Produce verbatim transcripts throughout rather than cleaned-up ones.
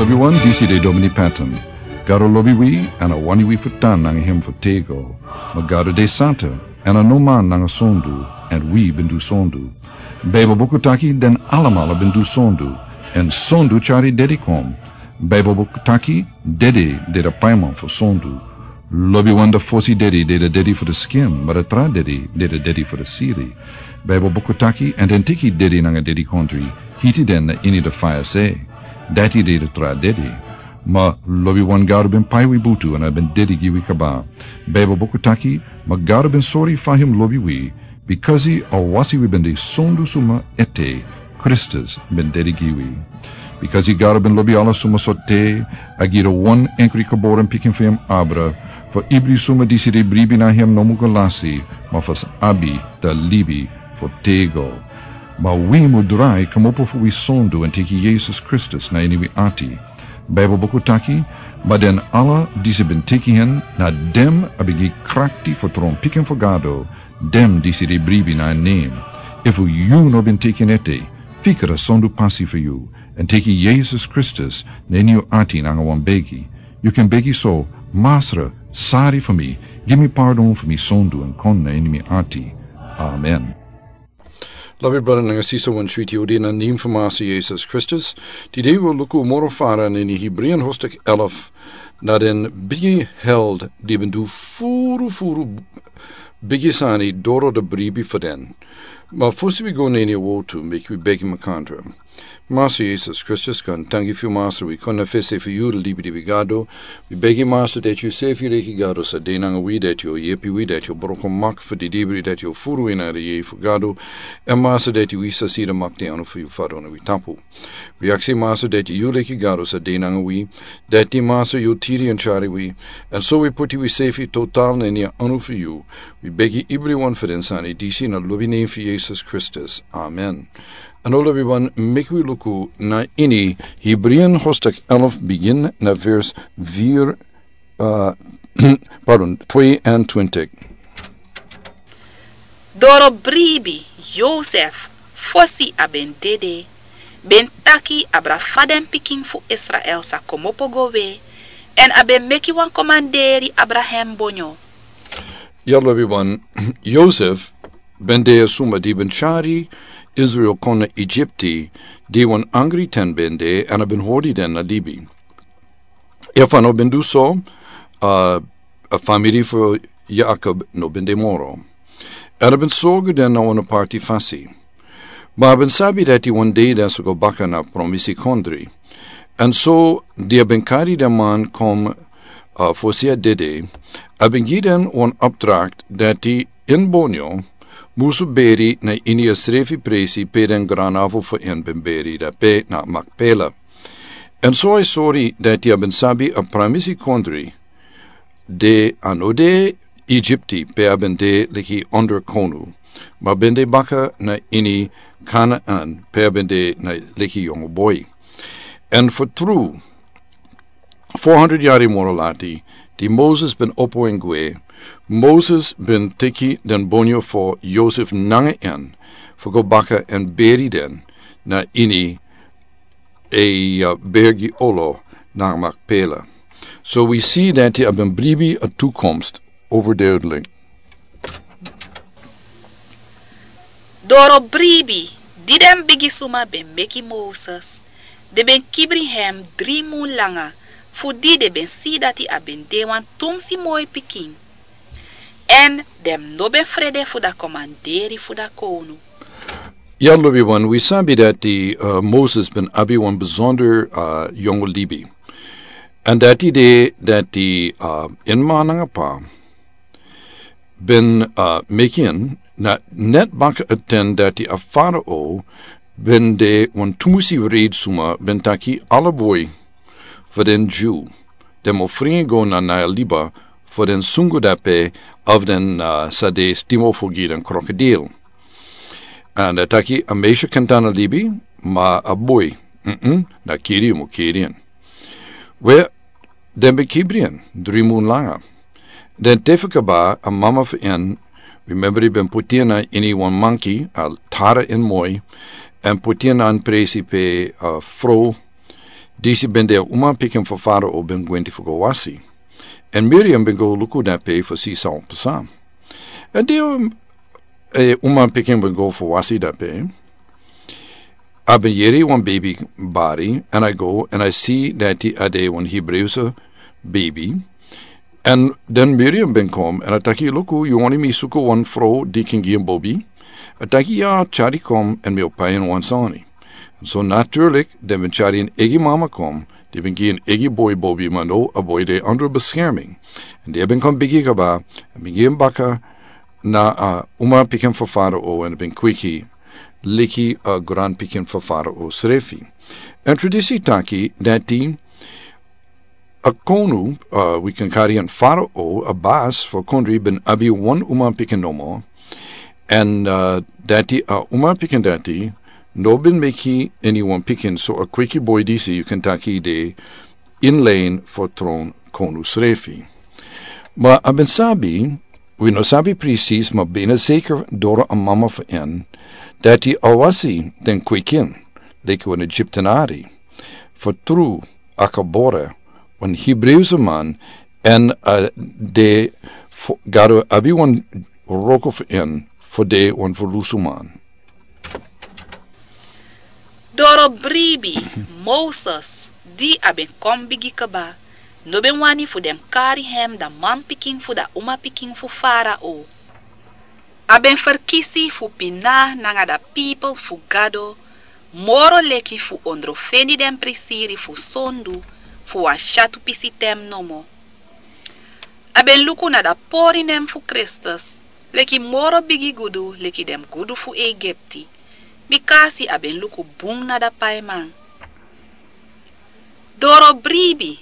Wi wan disi de Domini Patton. Gado lobi wi, èn a wani wi fu tan nanga hem fu tego. Ma Gado de santa, èn a no man nanga sondu, èn wi ben du sondu. Baibel buku taki den alamala ben du sondu, èn sondu tyari dedi kon. Baibel buku taki dedi de de paiman fu sondu. Lobi wan de fosi dedi de de dedi fu de skin, ma de tra dedi de de dedi fu de siri. Baibel buku taki, èn den tiki dedi nanga dedi kontri, hiti den na ini de faya se. Dati de de tra dedi. Ma lobi wan Gado ben pai wi butu èn a ben dedi gi wi kaba. Baibel buku taki, ma Gado ben sori fa hem lobi wi, bikasi a wasi wi ben de sondu suma ete, Kristus ben dedi gi wi. Bikasi Gado ben lobi ala suma so te, a gi de wan enkri kaboren pikin fu hem abra, fu ibri suma disi de bribi na hem no mu go lasi, ma fu abi de libi fu tego. Ma wi mu drai kmopo fu wi sondu èn teki Yesus Kristus na ini wi ati. Baibel buku taki, ma den ala disi ben teki hen, na dem a ben gi krakti fu tron pikin fu Gado, dem disi de bribi na en nen. Efu yu no ben teki en ete, fikra sondu pasi fu yu, èn teki Yesus Kristus na ini yu ati nanga wan begi. Yu ken begi so, Masra, sari fu mi, gi mi pardon fu mi sondu èn kon na ini mi ati. Amen. Lobi brada nanga sisa wan switi odi na nen fu Masra Yesus Kristus. Tide wi o luku moro fara na ini Hebreeën hoofdstuk elf, na den bigi held di ben du furu furu bigi sani doro de bribi fu den. Ma fosi wi go na ini a wotu, meki wi begi makandra. Masra Yesus Kristus, kon tangi fu yu Masra, wi kon na fesi fu yu de libi di wi Gado. Wi begi Masra dati yu sefi leki Gado sa de nanga wi, dati yu o yepi wi, dati yu o broko mak fu di dibri, dati yu o furu ini a yeye fu Gado. Èn Masra dati wi sa si de mak di anu fu yu Fada na wi tapu. Wi aksi Masra dati yu leki Gado sa de nanga wi, dati Masra yu tiri èn tyari wi, èn so wi puti wi sefi total na ini a anu fu yu. Wi begi ibri wan fu den sani disi na lobi nen fu Yesus Kristus. Amen. Èn lobi wan, meki wi luku na ini Hebreeën hoofdstuk elf, begin na vers vier, eh, pardon, twee en twintig. Doro bribi, Yosef, fosi a ben dede, ben taki abra fa den pikin fu Israel sa komopo go we, èn a ben meki wan komanderi abra hen bonyo. Ya lobi wan, Yosef ben de suma di ben tyari Israel kon na Egipti, di wan angri ten ben de, èn a ben hori den na libi. Efu a no ben du so, a, a famiri fu Yakob no ben de moro. Èn a ben sorgu den na wan parti fasi. Ma a ben sabi dati wan dei den sa go baka na promisi kondri. Èn so di a ben kari den man kon, a, fosi a dede, a ben gi den wan opdracht dati en bonyo musu beri na ini a srefi presi pe den granavel fu en ben beri dape na Makpela. Èn so a sori dati a ben sabi a promisi kondri, de a no de Egipti pe a ben de leki onderkonu, ma ben de baka na ini Kanaan pe a ben de na leki yongo boi. Èn fu tru, four hundred yari moro lati, di Moses ben opo en gwe, Moses ben teki den bonyo fu Yosef nanga en, fu go baka èn beri den na ini a, uh, bergi olo na Makpela. So wi si dati a ben bribi a toekomst overduidelijk. Doro bribi, di den bigi suma ben meki Moses, den ben kibri hem dri mun langa, fu di den ben si dati a ben de wan tumsi moi pikin. Èn den no ben frede fu da komanderi fu da kownu. Ya lobi wan, wi sabi dati, uh, Moses ben abi wan besonder, uh, yongo libi. Èn dati de dati, uh, en man nanga pa ben, uh, meki en na net baka a ten dati a Farao ben de wan tumusi reid suma ben taki ala boi fu den Jew, den mo fringi go na Nile liba fu den sungu dape of den, uh, sa de stimo fu gi den krokodil. Èn a taki a meisyo kan tan na libi, ma a boi, mm-mm, na kiri yu mo kiri en. We, den ben kibri en dri mun langa. Den te fu kaba a mama fu en, remember, den ben puti en na ini wan manki, a tara en moi, èn puti en na wan presi pe a frow Disi ben de a umanpikin fu Farao ben gwenti fu go wasi. Èn Miriam ben go luku dape fu si san o pasa. Èn di a umanpikin ben go fu wasi dape, a ben yere wan beibi bari, èn a go èn a si dati a de wan Hebreeuwse beibi. Èn den Miriam ben kon èn a taki: "Luku, yu wani mi suku wan frow di kin gi en bobi?" A taki: "Ya, tyari kon èn mi o pai en wan sani." So natuurlik den ben tyari en eigi mama kon, di ben gi en eigi boi bobi, ma no, a boi de ondro beskerming. Èn di a ben kon bigi kaba, a ben gi en baka na a umanpikin fu Farao, èn a ben kweki leki a granpikin fu Farao srefi. Èn tradisi taki dati a konu, uh, wi kan kari en Farao, a basi fu a kondre, ben abi wan umanpikin nomo. Èn, uh, dati a umanpikin dati no ben meki eniwan pikin, so a kweki boi disi yu kan taki de inlain fu tron konu srefi. Ma a ben sabi, wi no sabi presis, ma bina zeker doro a mama fu en, dati a wasi den kwekin leki wan Egyptenari. Fu tru a kabore wan Hebreeuwse man, èn a de fu Gado abi wan wroko fu en fu de wan ferlusu man. Doro bribi Moses, di a ben kon bigi kaba, no ben wani fu den kari hem dan manpikin fu dan umapikin fu Farao. A ben ferkisi fu pina nanga dan pipel fu Gado moro leki fu ondrofeni den prisiri fu sondu fu wan syatu pisi ten nomo. A ben luku na dan pori nen fu Kristus leki moro bigi gudu leki den gudu fu Egipti, bikasi a ben luku bun na dan paiman. Doro bribi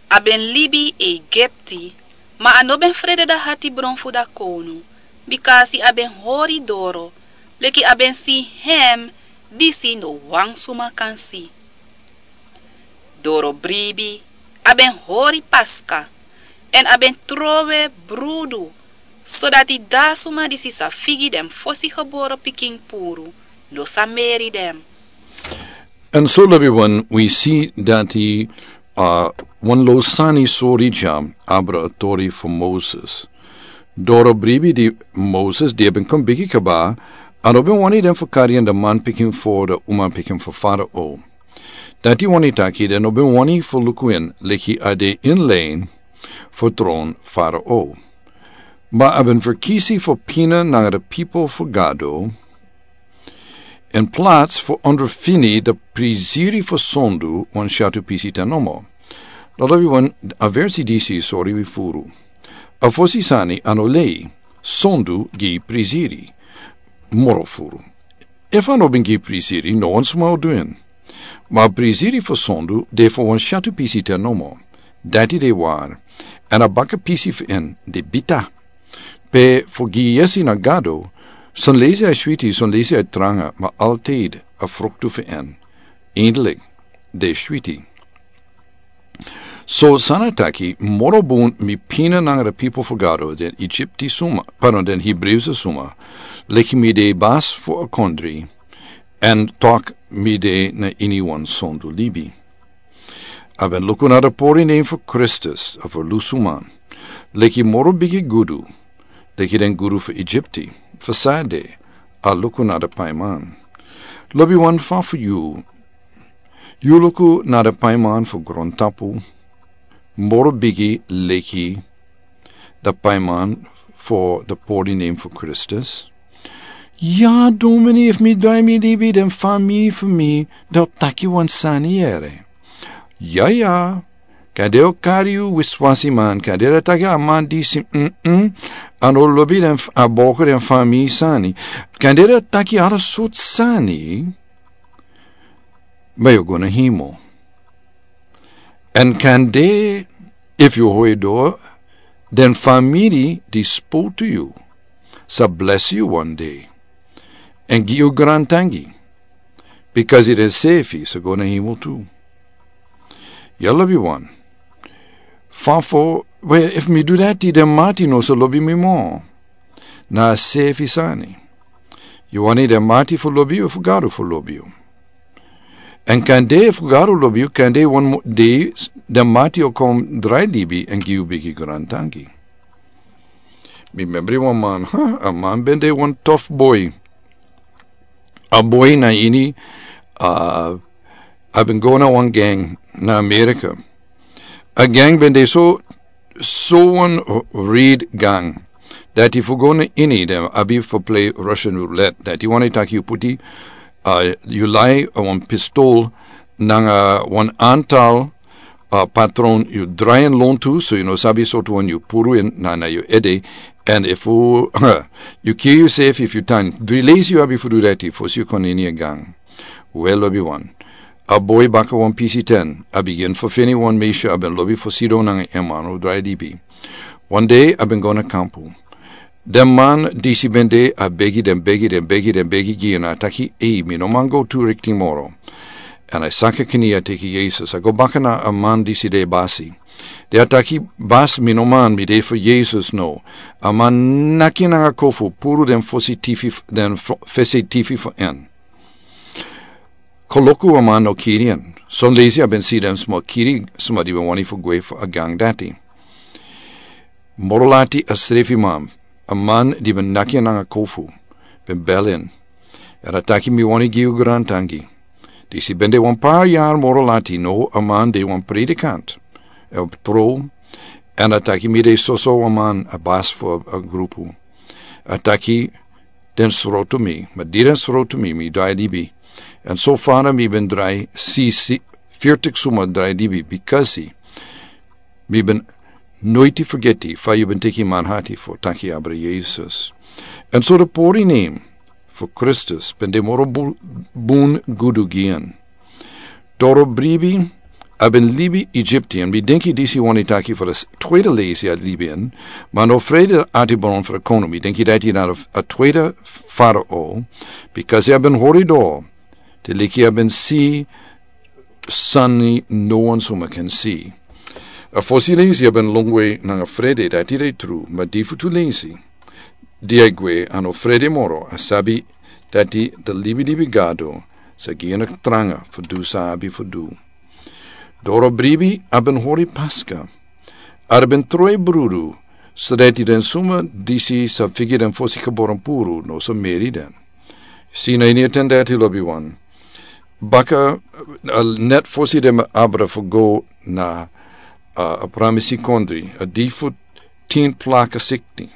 a ben libi Egipti, ma a no ben frede dan hatibron fu dan kownu, bikasi a ben hori doro leki a ben si hem disi no wan suma kan si. Doro bribi a ben hori Paska, èn a ben trowe brudu, sodati dan suma disi sa figi den fosi gebore pikin puru no sa meri den. Èn so lobi wan wi si dati, uh, wan lo sani sori dya abra a tori fu Moses. Doro bribi di Moses di a ben kon bigi kaba, a no ben wani den fu kari en dan manpikin fu dan umapikin fu Farao. Dati wani taki den no ben wani fu luku en leki a de inlain fu tron Farao. Ma a ben ferkisi fu pina nanga dan pipel fu Gado, in plats fu ondrofini dan prisiri fu sondu wan syatu pisi ten nomo. Lobi wan, a versi disi sori wi furu. A fosi sani a no lei, sondu gi prisiri moro furu. Efu a no ben gi prisiri, no wan suma o du en. Ma a prisiri fu sondu de fu wan syatu pisi ten nomo. Dati de wari. Èn a baka pisi fu en de bita. Pe fu gi yesi na Gado, son leisi a switi, son leisi a tranga, ma altid a fruktu fu en, eindelik, de switi. So san a taki: Moro bun mi pina nanga dan pipel fu Gado den Egipti suma, pardon, den Hebreeuwse suma, leki mi de basi fu a kondre, èn tak' mi de na iniwan sondu libi. A ben luku na dan pori nen fu Kristus, a ferlusu man, leki moro bigi gudu leki den gudu fu Egipti. Fu san de, a luku na dan paiman. Lobi wan, fa fu yu? Yu luku na dan paiman fu grontapu moro bigi leki dan paiman fu dan pori nen fu Kristus? Ya, domini, efu mi drai mi libi den famiri fu mi, den o taki wan sani yere. Ya, ya. Kande den o kari yu wiswasiman, kande den o taki a man disi, mm, mm, a no lobi den f-, a boko den famiri sani. Kande den o taki ala sortu sani, ma yu o go na hemel. Èn kande, efu yu hori doro, den famiri di spotu yu sa blesi yu wan dei èn gi yu grantangi, bikasi den sefi sa go na hemel tu. Ya, lobi wan. Fa fu, we, efu mi du dati, den mati no sa lobi mi moro. Na a sefi sani. Yu wani den mati fu lobi yu, fu Gado fu lobi yu? Èn kande efu Gado lobi yu, kande wan mo-, dei s-, den mati o kon drai libi èn gi yu bigi grantangi. Mi membri wan man, ha, a man ben de wan tof boi. A boi na ini, a, a ben go na wan gang na Amerika. A gang ben de so, so wan red gang. Dati fu go na ini den abi fu play Russian roulette. Dati wani taki yu puti, a, yu lai a wan pistol nanga wan antal, a, patron yu drai en lontu, so yu no sabi sortu wan yu puru en na, na yu ede. Èn efu yu kiri yusrefi, efu yu tan, dri leisi yu abi fu du dati, fosi yu kon ini a gang. Wel, lobiwan. A boi baka wan pisi ten, a bigin fu feni wan meisyo a ben lobi fu sidon nanga en man o drai libi. Wan dei a ben go na kampu. Den man disi ben de a begi den, begi den, begi den, begi gi en, a taki, "Ei, mi no man go tu rikti moro." Èn a saka kini a teki Yesus, a go baka na a man disi de basi. Di a taki, "Basi, mi no man, mi de fu Yesus no." A man naki en nanga kofu, puru den fosi tifi f-, den fo-, fesi tifi fu en. Koloku a man no kiri en. Son leisi a ben si den sma kiri sma di ben wani fu gwe fu a gang dati. Moro lati a srefi man, a man di ben naki en nanga kofu, ben bel en. Èn a taki, "Mi wani gi yu grantangi." Disi ben de wan par yari moro lati, now a man de wan predikant. A tron, èn a taki, "Mi de soso wan man, a basi fu a grupu." A taki, "Den srotu mi, ma di den srotu mi, mi drai libi. Èn so fara mi ben drai si, si, fifti suma drai libi, bikasi mi ben noiti fergeti fa yu ben teki manhati fu taki abra Yesus." Èn so den pori nen fu Kristus ben de moro bu-, bun gudu gi en. Doro bribi, a ben libi Egyptian, mi denki disi wani taki fu a s-, tweede leisi a libi en, ma no frede ati bron fu a kono, mi denki dati na a f-, a tweede Farao, bikasi a ben hori doro, te leki a ben si sani no wan suma kan si. A fosi leisi a ben longwe nanga frede, dati de tru, ma di fu tu leisi, di a gwe a no frede moro, a sabi dati den libilibi Gado sa gi en a tranga fu du san a abi fu du. Doro bribi a ben hori Paska. A ben tron brudu, so dati den suma disi sa figi den fosi geboren puru no sa meri den. Si na ini a ten dati, lobiwan. Baka, a, net fosi den abra fu go na, a, a pramisi kondre, a di fu tin plaka sikti.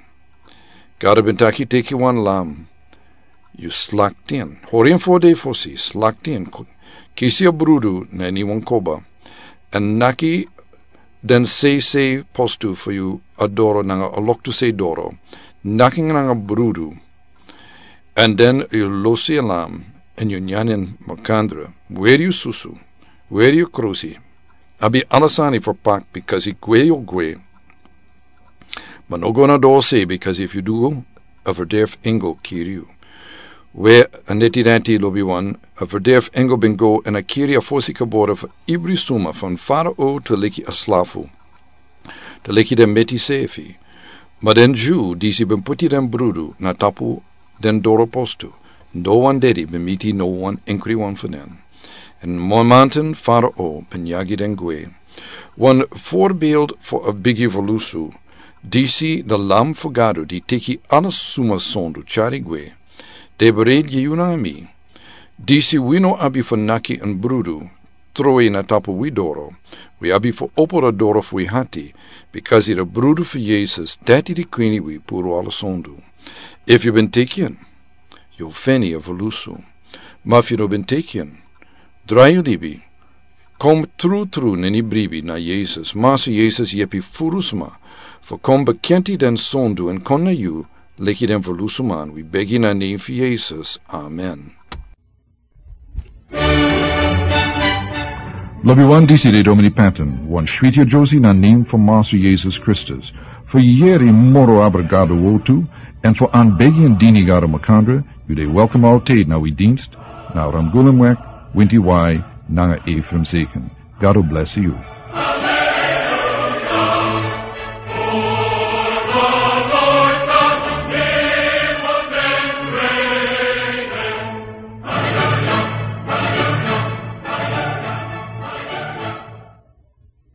Gado ben taki, "Teki wan lam. Yu slakti en. Hori en fo dei fosi, slakti en. Ku-, kisi a brudu na ini wan koba. Èn naki den seisei postu fu yu a doro nanga a loktu sei doro. Naki nanga brudu. Èn den yu losi a lam, èn yu nyan en makandra. Weri yu susu. Weri yu krusi. Abi ala sani fu pak, bikasi gwe yu o gwe. Ma no go na doro sei, bikasi efu yu du, a verderf engel kiri yu." We, a neti dati, lobiwan, a verderf engel ben go èn a kiri a fosi geboren fu ibri suma, fan Farao te leki a slafu, te leki den meti sefi. Ma den Dyu disi ben puti den brudu na tapu den doro postu, no wan dedi ben miti no wan enkri wan fu den. Èn mamanten Farao ben yagi den gwe. Wan voorbeeld fu a bigi volusu, disi de lam fu Gado di teki ala suma sondu tyari gwe. De bereid gi yu nanga mi. Disi wi no abi fu naki en brudu, tron na tapu wi doro. Wi abi fu opo a doro fu wi hati, bikasi a brudu fu Yesus, dati di kwini wi puru ala sondu. Efu yu ben teki en, yu o feni a volusu. Ma efu yu no ben teki en, drai yu libi. Kon trutru na ini bribi na Yesus. Masu Yesus yepi furu suma fu kon bekenti den sondu èn kon na yu, leki den volusuman. Wi begi na nen fu Yesus. Amen. Lobiwan, disi de Domini Patton, wan switi a Josi na nen fu Masu Yesus Kristus. Fu yeri moro abra Gado wortu, èn fu anbegi èn dini Gado makandra, yu de welkom altijd na wi dienst, na Ramgulumweg, winti wai, nanga Ephraim Zeken. Gado bless yu.